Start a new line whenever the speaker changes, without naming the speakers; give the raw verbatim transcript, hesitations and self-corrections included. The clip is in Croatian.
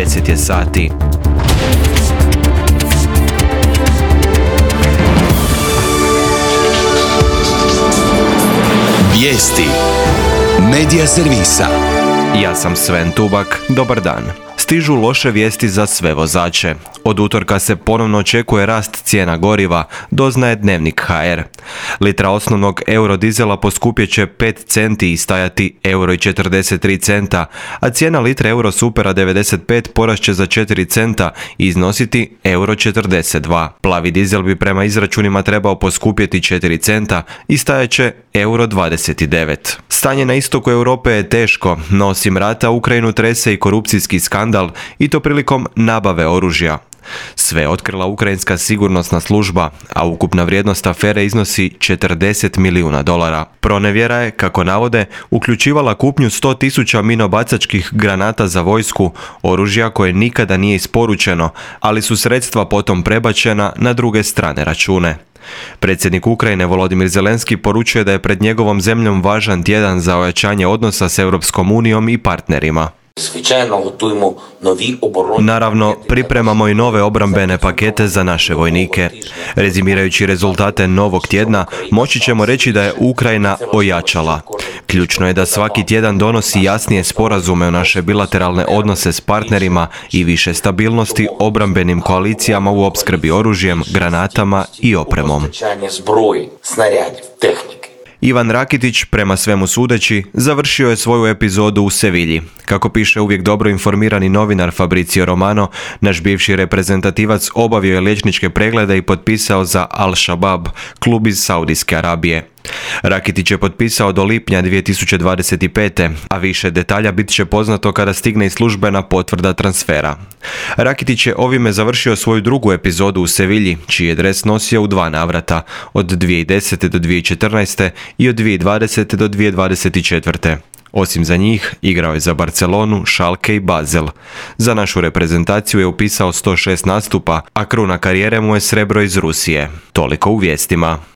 deset je sati.
Vijesti Medija servisa.
Ja sam Sven Tubak, dobar dan. Stižu loše vijesti za sve vozače. Od utorka se ponovno očekuje rast cijena goriva, doznaje Dnevnik ha er. Litra osnovnog eurodizela poskupjet će pet centi i stajati euro i četrdeset tri centa, a cijena litre eurosupera devedeset pet porast će za četiri centa i iznositi euro četrdeset dva. Plavi dizel bi prema izračunima trebao poskupjeti četiri centa i stajat će euro dvadeset devet. Stanje na istoku Europe je teško, no osim rata Ukrajinu trese i korupcijski skandal, i to prilikom nabave oružja. Sve je otkrila ukrajinska sigurnosna služba, a ukupna vrijednost afere iznosi četrdeset milijuna dolara. Pronevjera je, kako navode, uključivala kupnju sto tisuća minobacačkih granata za vojsku, oružja koje nikada nije isporučeno, ali su sredstva potom prebačena na druge strane račune. Predsjednik Ukrajine Volodimir Zelenski poručuje da je pred njegovom zemljom važan tjedan za ojačanje odnosa s Europskom unijom i partnerima. Naravno, pripremamo i nove obrambene pakete za naše vojnike. Rezimirajući rezultate novog tjedna, moći ćemo reći da je Ukrajina ojačala. Ključno je da svaki tjedan donosi jasnije sporazume u naše bilateralne odnose s partnerima i više stabilnosti obrambenim koalicijama u opskrbi oružjem, granatama i opremom. Ivan Rakitić, prema svemu sudeći, završio je svoju epizodu u Sevilji. Kako piše uvijek dobro informirani novinar Fabrizio Romano, naš bivši reprezentativac obavio je liječničke preglede i potpisao za Al-Shabaab, klub iz Saudijske Arabije. Rakitić je potpisao do lipnja dvije tisuće dvadeset pete. a više detalja bit će poznato kada stigne i službena potvrda transfera. Rakitić je ovime završio svoju drugu epizodu u Sevilji, čiji je dres nosio u dva navrata, od dvije tisuće desete do dvije tisuće četrnaeste i od dvije tisuće dvadesete do dvije tisuće dvadeset četvrte. Osim za njih, igrao je za Barcelonu, Schalke i Basel. Za našu reprezentaciju je upisao sto šest nastupa, a kruna karijere mu je srebro iz Rusije. Toliko u vijestima.